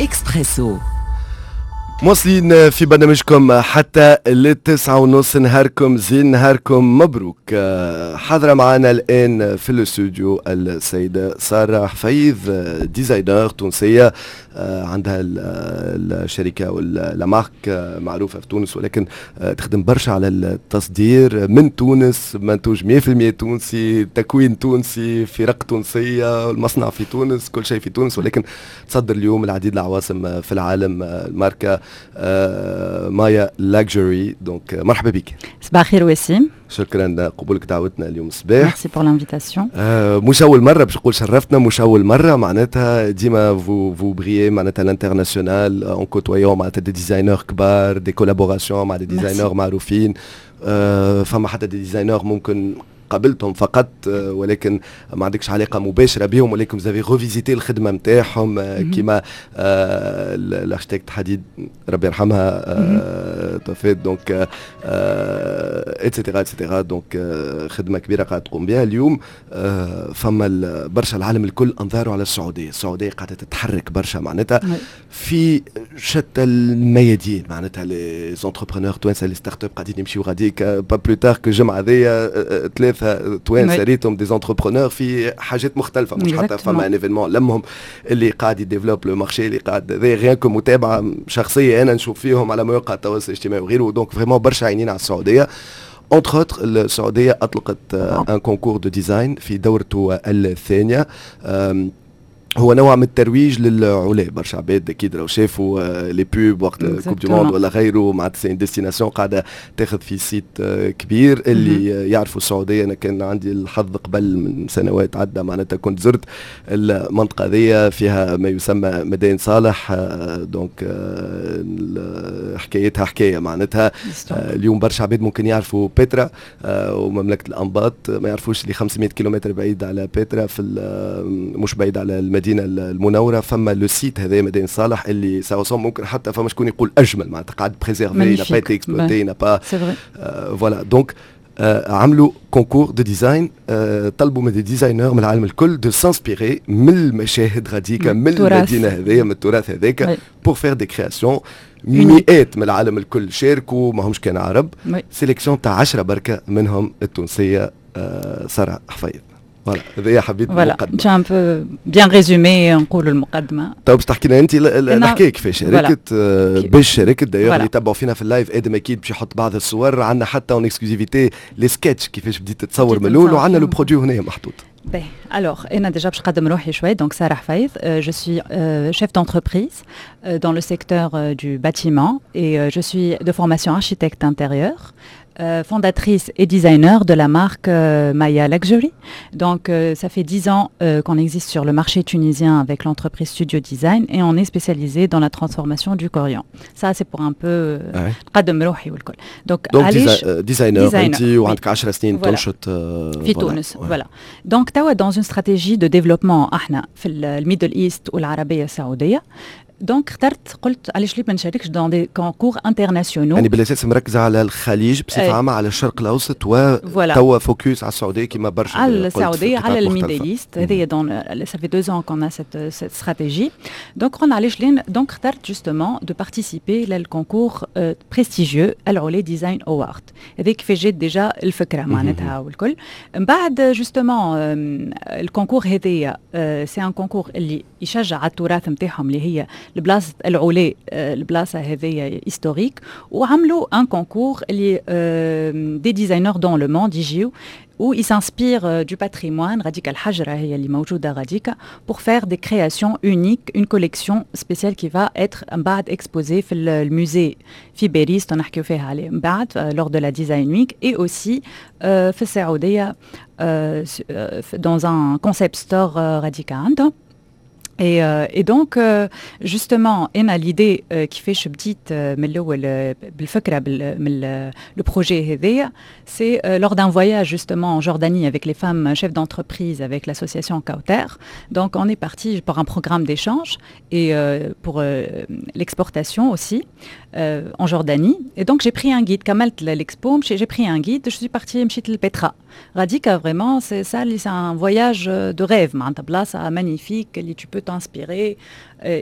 اكسبريسو. مواصلين في برنامجكم حتى لل9:30. نهاركم زين، نهاركم مبروك. حاضرة معنا الآن في الاستوديو السيدة سارة حفيظ، designer تونسية عندها الشركة ولا marque معروفة في تونس، ولكن تخدم برشا على التصدير من تونس، منتوج 100% تونسي، تكوين تونسي، فرق تونسية، المصنع في تونس، كل شيء في تونس، ولكن تصدر اليوم العديد العواصم في العالم الماركة مايا Luxury. donc مرحبا بك. صباح الخير وسيم. شكرا قبولك دعوتنا اليوم الصباح. merci pour l'invitation. مش اول مرة باش نقول شرفتنا، مش اول مرة معناتها ديما vous brillez معناتها l'international en côtoyant معناتها des designers كبار، des collaborations مع des designers معروفين. فما حتى des designers ممكن قابلتهم فقط ولكن ما عندكش علاقة مباشرة بهم، ولكن vous avez revisité الخدمة نتاعهم، كيما l'architecte حديد ربي يرحمها توفات، donc et cetera et cetera. donc خدمة كبيرة قاعدة تقوم بها اليوم. فما برشا، العالم الكل انظاره على السعوديه، السعودية قاعدة تتحرك برشا معناتها في شتى الميادين، معناتها les entrepreneurs توانسه، les startups قاعدين يمشيو غاديك. pas plus tard que الجمعة هذيا ثلاثة توانسة ريتهم des entrepreneurs في حاجات مختلفه، مش حتى فما un événement لمهم اللي قاعد ي développe le marché اللي قاعد rien que متابعه شخصية انا نشوف فيهم على مواقع التواصل الاجتماعي وغيره. donc vraiment برشا عينين على السعوديه. entre autres السعودية اطلقت un concours de design في دورته الثانيه، هو نوع من الترويج للعلا. برشا عباد اكيد لو شافوا les pubs وقت coupe du monde ولا غيره، معناتها c'est une destination قاعدة تاخذ في صيت كبير. اللي يعرفوا السعوديه، انا كان عندي الحظ قبل من سنوات عده معناتها كنت زرت المنطقة ذي، فيها ما يسمى مدائن صالح، donc حكايتها حكاية معناتها. اليوم برشا عباد ممكن يعرفوا بترا ومملكه الانباط، ما يعرفوش اللي 500 كيلومتر بعيد على بترا، في مش بعيد على المدينة المنوره، فما le site هذا مدائن صالح اللي ça ممكن حتى فما شكون يقول اجمل، معناتها قاعد préservé، n'a pas été exploité، n'a pas voilà. donc عملوا concours de design، طلبوا من des designers من العالم الكل de s'inspirer من المشاهد غاديكا، من المدينة هذيا، من التراث هذاك، pour faire des créations. مئات من العالم الكل شاركوا، ما همش كان عرب. sélection تاع 10 بركة منهم التونسية ساره حفيظ. voilà، هذه حبيت. voilà، tu as un peu bien résumé نقولوا المقدمه. طيب، باش تحكي لنا انت الحكاية كيفاش شاركت، باش شاركت. d'ailleurs اللي يتبعوا فينا في ال live، ادم اكيد باش يحط بعض الصور عندنا حتى en exclusivité les sketchs كيفاش بديت تتصور من الاول، وعندنا le produit هنا محطوط. باهي، alors, أنا déjà باش نقدم روحي شوي. donc Sarah Hafez, je suis chef d'entreprise dans le secteur du bâtiment et je suis de formation architecte intérieur. Fondatrice et designer de la marque Maya Luxury. Donc, ça fait 10 ans qu'on existe sur le marché tunisien avec l'entreprise Studio Design et on est spécialisé dans la transformation du Corian. Ça, c'est pour un peu نقدم روحي والكل. Donc, donc designer انت وعندك 10 سنين تنشط. في تونس، voilà. Donc توا dans une stratégie de développement احنا في ال Middle East والعربية السعوديه، donc اخترت، قلت علاش لي ما نشاركش dans des concours internationaux؟ يعني بالاساس مركزه على الخليج بصفة عامه، على الشرق الاوسط، وتوا focus على السعودية كما برشا. على السعوديه، على ال Middle East هذه. donc ça fait 2 ans qu'on a cette stratégie، donc قلنا علاش لين. donc اخترت justement de participer لل concours prestigieux العلا Design Award. هذيك كيفاش جات déjà الفكرة معناتها والكل. من بعد justement ال concours هذايا c'est un concours اللي يشجع على التراث نتاعهم، اللي هي البلاصة العلا، البلاصة هذيا historique، وعملوا un concours اللي des designers dans le monde يجيو où ils s'inspirent du patrimoine غاديكا، الحجرة هي اللي موجودة غاديكا، pour faire des créations uniques، une collection spéciale qui va être من بعد exposée في ال musée في باريس، نحكيو فيها عليه من بعد lors de la Design Week، et aussi في السعودية dans un concept store غاديكا عندهم. Et donc, justement, أنا l'idée كيفاش بديت من الأول بالفكرة من le projet هذايا، c'est lors d'un voyage justement en Jordanie avec les femmes chefs d'entreprise، avec l'association Kauter. Donc, on est parti pour un programme d'échange et pour l'exportation aussi en Jordanie. Et donc, j'ai pris un guide. كملت l'expo، j'ai pris un guide، je suis partie مشيت للبترا. غاديكا vraiment، c'est ça، c'est un voyage de rêve. معناتها بلاصة magnifique اللي tu peux peut t'inspirer؟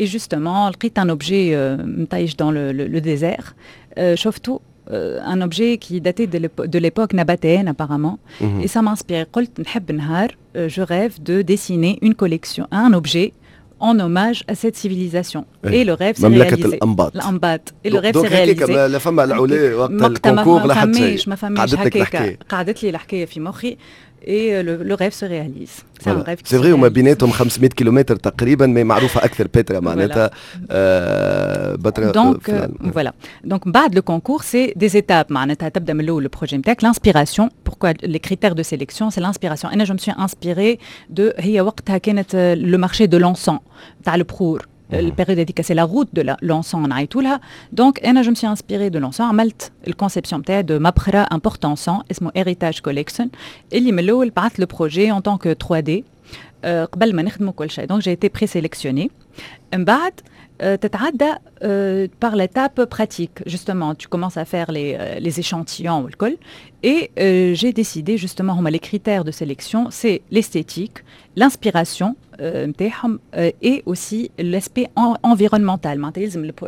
Et justement لقيت un objet مطيش dans le désert، شفته، un objet qui datait de l'époque nabatéenne apparemment, et ça m'inspire. قلت نحب نهار، je rêve de dessiner une collection, un objet en hommage à cette civilisation. Et le rêve s'est réalisé. الأنباط. الأنباط. Et le rêve s'est réalisé. لا فما العلا وقت ال concours، لا حتى شيء. ما فماش هكاك، قعدت لي الحكاية في مخي et le rêve se réalise. C'est un rêve. C'est vrai، وما بيناتهم 500 كيلومتر تقريبا، mais معروفة اكثر بترا معناتها. بترا. donc voilà، donc بعد le concours c'est des étapes، معناتها تبدا من الاول le projet نتاعك، l'inspiration. pourquoi les critères de sélection؟ c'est l'inspiration. انا je me suis inspirée de، هي وقتها كانت le marché de l'encens، تاع البخور، ال période هذيك c'est la route de l'encens نعيطوا لها. donc انا je me suis inspirée de l'encens، عملت ال conception تاعي de مبخره، un porte-encens اسمه Héritage Collection، اللي من الاول بعثت le projet en tant que 3D قبل ما نخدموا كل شيء. donc j'ai été présélectionnée. من بعد تتعدى par l'étape pratique. Justement, tu commences à faire les échantillons والكل. Et j'ai décidé justement، هما les critères de sélection, c'est l'esthétique, l'inspiration et aussi l'aspect environnemental.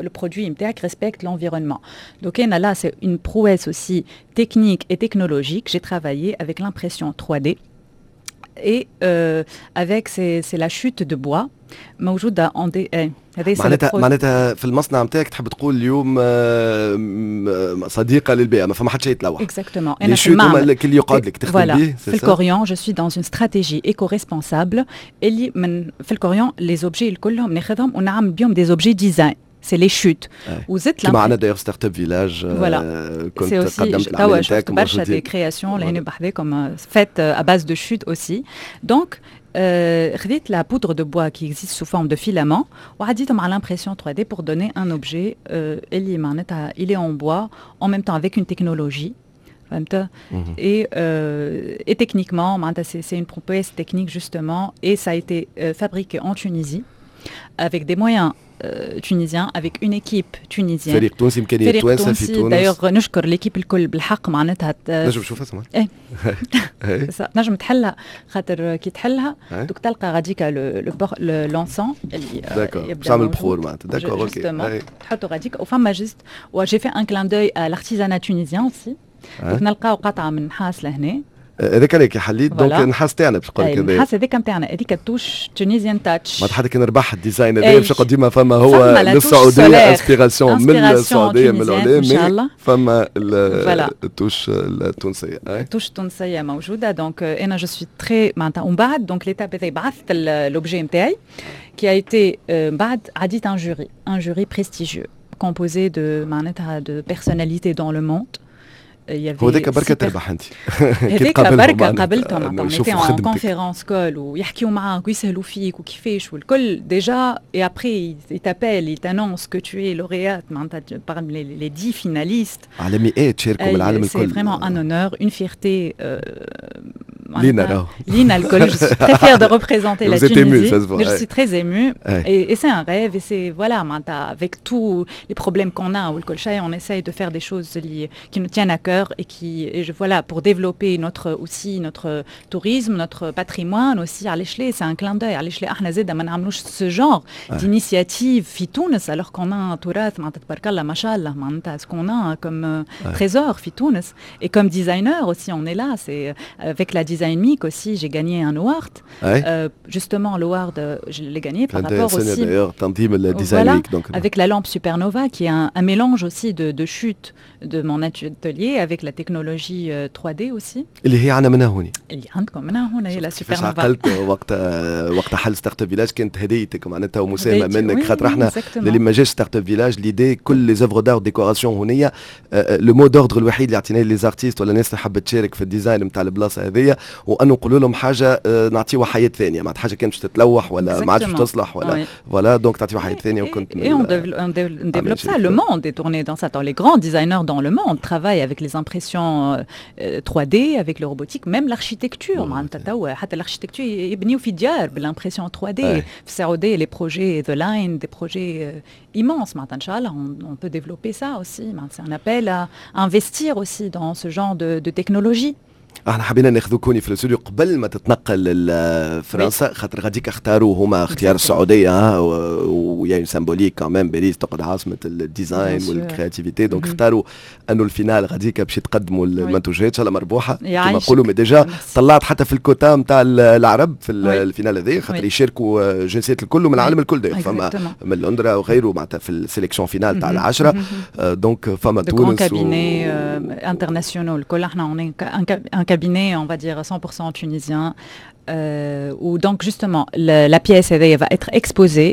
Le produit respecte l'environnement. Donc là, c'est une prouesse aussi technique et technologique. J'ai travaillé avec l'impression 3D et avec c'est la chute de bois موجودة en دي. هذا معناتها في المصنع نتاعك تحب تقول اليوم صديقه للبيئه، ما فما حتى شيء يتلوح. exactement. انا في المعمل اللي يقعد لك تخدم به. في الكوريون je suis dans une stratégie éco-responsable، اللي من في الكوريون les objets كلهم ناخذهم ونعمل بهم des objets design، c'est les chutes. وزدت كما عندنا d'ailleurs Startup Village. voilà، كنت قدمت العمل نتاعك. برشا des créations لهنا بحذاكم faites à base de chutes aussi. donc خذيت la poudre de bois qui existe sous forme de filament وعديتهم على l'impression 3D pour donner un objet اللي معناتها il est en bois en même temps avec une technologie، فهمت؟ et techniquement معناتها c'est une prouesse technique justement et ça a été fabriqué en Tunisie avec des moyens tunisiens، avec une équipe tunisienne. فريق تونسي، امكانيات توانسة في تونس. d'ailleurs نشكر l'équipe الكل بالحق معناتها. نجم نشوفها سمعت. ايه، نجم تحلها، خاطر كي تحلها دوك تلقى غاديكا l'encens اللي d'accord، تعمل بخور معناتها، d'accord، ok. تحطوا غاديكا وفما juste و j'ai fait un clin d'œil à l'artisanat tunisien aussi، نلقاو قطعه من نحاس لهنا. هذاك عليك حليت، donc النحاس تاعنا باش نقول لك. النحاس هذاك نتاعنا، هذيك ال touche tunisienne touch. ما حتى كان ربح ال design هذا باش ديما فما هو للسعوديه، inspiration من السعوديه، من العلا، فما ال touche التونسيه. ال touche التونسية موجوده. donc انا je suis très معناتها، ومن بعد donc l'étape هذا بعثت l'objet نتاعي qui a été بعد عديت un jury prestigieux composé de معناتها de personnalités dans le monde. هذاك بركة تربح انت. هذاك بركة قابلتهم، معناتها en conférence call ويحكيو معاك ويسهلوا فيك وكيفاش والكل déjà، et après ils t'appellent، ils t'annoncent que tu es lauréate معناتها parmi les 10 finalistes. على مئات شاركوا من العالم الكل. c'est vraiment un honneur، une fierté. لينا راهو. لينا الكل. je suis très fière de représenter la Tunisie. je suis très émue et c'est un rêve et c'est voilà، معناتها avec tous les problèmes qu'on a والكل شيء، on essaye de faire des choses qui nous tiennent à cœur et qui et je voilà، pour développer notre aussi notre tourisme، notre patrimoine aussi. علاش لا؟ c'est un clin d'œil. علاش لا احنا زاده ما نعملوش ce genre d'initiative في تونس alors qu'on a un تراث معناتها تبارك الله ما شاء الله، معناتها ce qu'on a comme trésor في تونس. et comme designer aussi on est là، c'est avec la Design Week aussi j'ai gagné un award. Justement l'award je l'ai gagné par rapport aussi d'ailleurs تنظيم ال Design Week donc avec la lampe Supernova qui est un mélange aussi de chute de mon atelier avec la technologie 3D aussi. اللي هي عندنا منها هوني. اللي عندكم منها هنا هي la Supernova. عقلت وقت حل Startup Village كانت هديتك معناتها ومساهمه منك، خاطر احنا اللي ما جاش Startup Village، l'idée كل les œuvres d'art décoration هونيه، le mot d'ordre الوحيد اللي عطيناه les artistes ولا الناس اللي حبت تشارك في ال design نتاع البلاصة هذيا، وانه نقولوا لهم حاجة نعطيوها حياة ثانيه، معناتها حاجة كانت باش تتلوح ولا ما عادش تصلح ولا voilà، donc تعطيوها حياة ثانيه. وكنت Et on développe ça، le monde est tourné dans ça. Les grands designers dans le monde travaillent avec les impressions 3D، avec le robotique، même l'architecture. معناتها توا حتى l'architecture يبنيو في ديار بال impression 3D. في السعودية les projets The Line، des projets immenses. معناتها ان شاء الله on peut développer ça aussi. معناتها c'est un appel à investir aussi dans ce genre de technologie. احنا حبينا ناخذوك هوني في الاستوديو قبل ما تتنقل لفرنسا، خاطر غاديك اختاروا هما اختيار السعوديه، و y a une symbolique quand même، باريس تقعد عاصمة ال design وال créativité، donc اختاروا انه ال finale غاديك باش يتقدموا المنتوجات. ان شاء الله مربوحه كما نقولوا. mais déjà طلعت حتى في الكوتا نتاع العرب في ال finale هذه، خاطر يشاركوا جنسيات الكل ومن العالم الكل، فما من لندرا وغيره معناتها في ال sélection finale تاع العشره، donc فما تونس. cabinets internationaux الكل، احنا on est un cabinet, on va dire 100% tunisien. Où donc justement la pièce va être exposée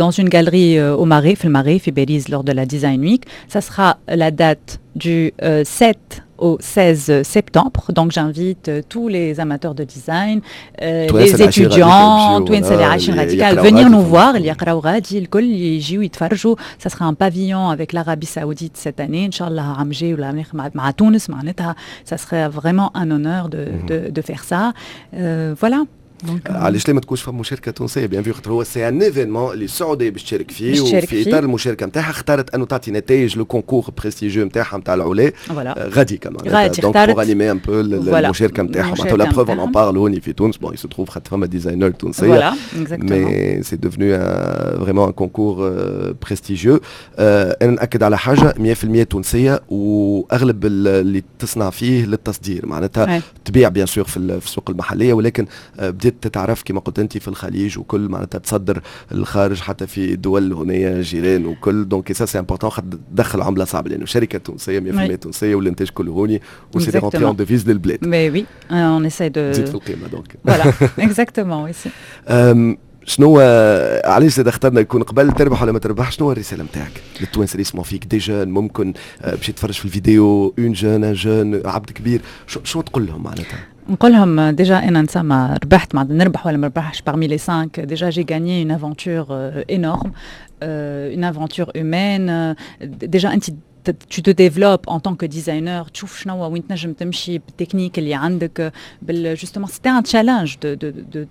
dans une galerie au Marais, في الماري، في باريس lors de la Design Week. Ça sera la date du 7 au 16 septembre. Donc j'invite tous les amateurs de design, les étudiants, توانسة اللي عايشين غادي, venir nous voir، اللي يقراو غادي الكل يجيو يتفرجوا. Ça sera un pavillon avec l'Arabie Saoudite cette année. إن شاء الله عام جاي ولا مع تونس معناتها ça serait vraiment un honneur de faire ça. Voilà. علاش لا ما تكونش فما مشاركة تونسيه؟ bien vu، خاطر هو c'est un événement اللي السعودية باش تشارك فيه، وفي اطار المشاركة نتاعها اختارت انه تعطي نتائج le concours prestigieux نتاعها نتاع العلا غادي كمان. غادي. donc pour animer un peu المشاركة نتاعها معناتها. la preuve، on parle هوني في تونس، bon، il se trouve خاطر فما designer تونسيه، mais c'est devenu vraiment un concours prestigieux. انا ناكد على حاجه، 100% تونسيه، واغلب اللي تصنع فيه للتصدير، معناتها تبيع bien sûr في السوق المحليه، ولكن بديت تتعرف كما قلت انت في الخليج وكل، معناتها تصدر الخارج، حتى في دول هنا جيران وكل. donc ça c'est important خاطر تدخل عمله صعبه، لانه شركة تونسية 100% تونسية والانتاج كله هوني، و c'est des rentrées en devises للبلاد. mais oui، on essaie de تزيد في القيمة donc. voilà، exactement، oui. شنو علاش زاد اخترنا يكون قبل، تربح ولا ما تربح، شنو الرسالة نتاعك للتوانسه اللي يسمعوا فيك، des jeunes ممكن باش يتفرج في الفيديو، une jeune، un jeune، عبد كبير، شو تقول لهم معناتها؟ نقول لهم déjà انا نسمى ربحت، معناتها نربح ولا ما نربحش parmi les 5، déjà j'ai gagné une aventure énorme، une aventure humaine. déjà انت tu te développes en tant que designer، تشوف شنو وين تنجم تمشي بالتكنيك اللي عندك. بال justement c'était un challenge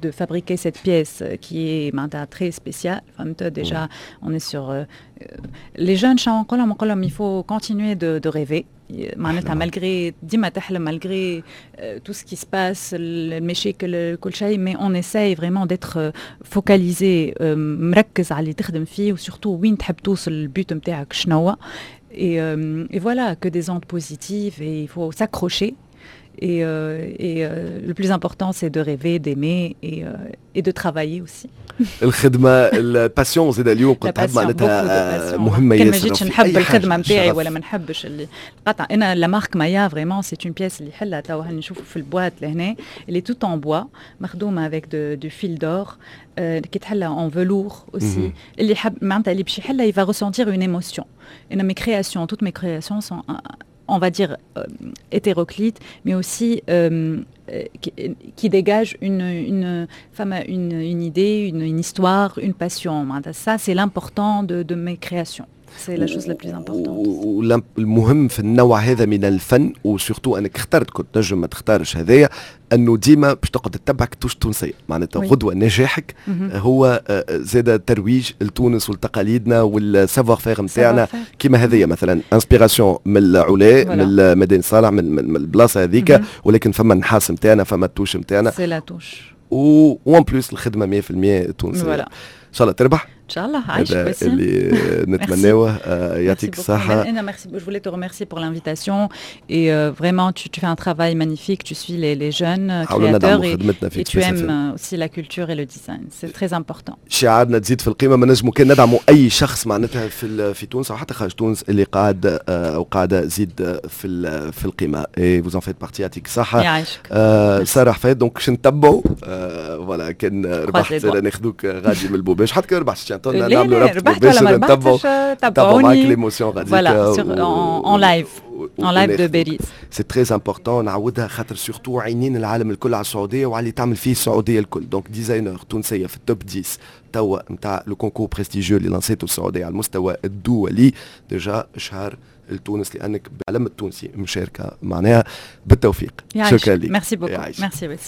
de fabriquer cette pièce qui est معناتها très spéciale، فهمت؟ déjà on est sur les jeunes، شنو نقول لهم؟ نقول لهم il faut continuer de rêver، معناتها malgré، ديما تحلم malgré tout ce qui se passe، المشاكل كل شيء، mais on essaye vraiment d'être focalisé، مركز على اللي تخدم فيه، و surtout وين تحب توصل، ال but نتاعك شنو. Et voilà، que des ondes positives et il faut s'accrocher. Et le plus important, c'est de rêver، d'aimer et de travailler aussi. الخدمه، ال passion زاد اليوم قلت معناتها مهمة ياسر. كان ما جيتش نحب الخدمة نتاعي ولا ما نحبش اللي قطع انا la marque مايا، vraiment c'est une pièce اللي حلها توا نشوفوا في ال boîte لهنا، اللي tout en bois، مخدومة avec du fil d'or، كي تحلها en velours aussi. اللي حب معناتها اللي باش يحلها il va ressentir une émotion. انا mes créations، toutes mes créations sont، on va dire، hétéroclite، mais aussi qui dégage une idée، une histoire، une passion. Ça، c'est l'important de mes créations. C'est la chose la plus importante. والمهم في النوع هذا من الفن، و surtout انك اخترت، كنت تنجم ما تختارش هذايا، انه ديما باش تقعد تتبعك touche تونسيه، معناتها غدوه نجاحك هو زاد ترويج لتونس ولتقاليدنا وال savoir-faire نتاعنا، كيما هذيا مثلا inspiration من العلا، من مدينة صالح، من البلاصة هذيك، ولكن فما النحاس نتاعنا، فما ال touche نتاعنا. c'est la touche. و en plus الخدمة 100% تونسيه. ان شاء الله تربح. ان شاء الله، عايشك. اللي نتمناوه، يعطيك الصحة. أنا merci، je voulais te remercier pour l'invitation et vraiment tu fais un travail magnifique، tu suis les jeunes créateurs et tu aimes aussi la culture et le design، c'est très important. شعارنا تزيد في القيمة، ما نجموا كان ندعموا أي شخص معناتها في تونس أو حتى خارج تونس اللي قاعد أو قاعدة زيد في القيمة، et vous en faites partie. يعطيك الصحة. يعيشك. سارة حفيظ، donc باش نتبعوا، voilà، كان ربحت ناخذوك غادي من البوباش، حتى كان ربحت نعملوا ربط مباشر، ولا ما نتبعوا تبعوني معاك l'émotion غادي. voilà، en live، en live de باريس. c'est très important، نعاودها، خاطر surtout عينين العالم الكل على السعودية وعلى اللي تعمل فيه السعودية الكل. donc designer تونسية في ال top 10 توا نتاع le concours prestigieux اللي لانسيتو السعودية على المستوى الدولي، déjà اشهار لتونس لانك بعلم التونسي مشاركه، معناها بالتوفيق. شكرا لك. merci beaucoup، merci.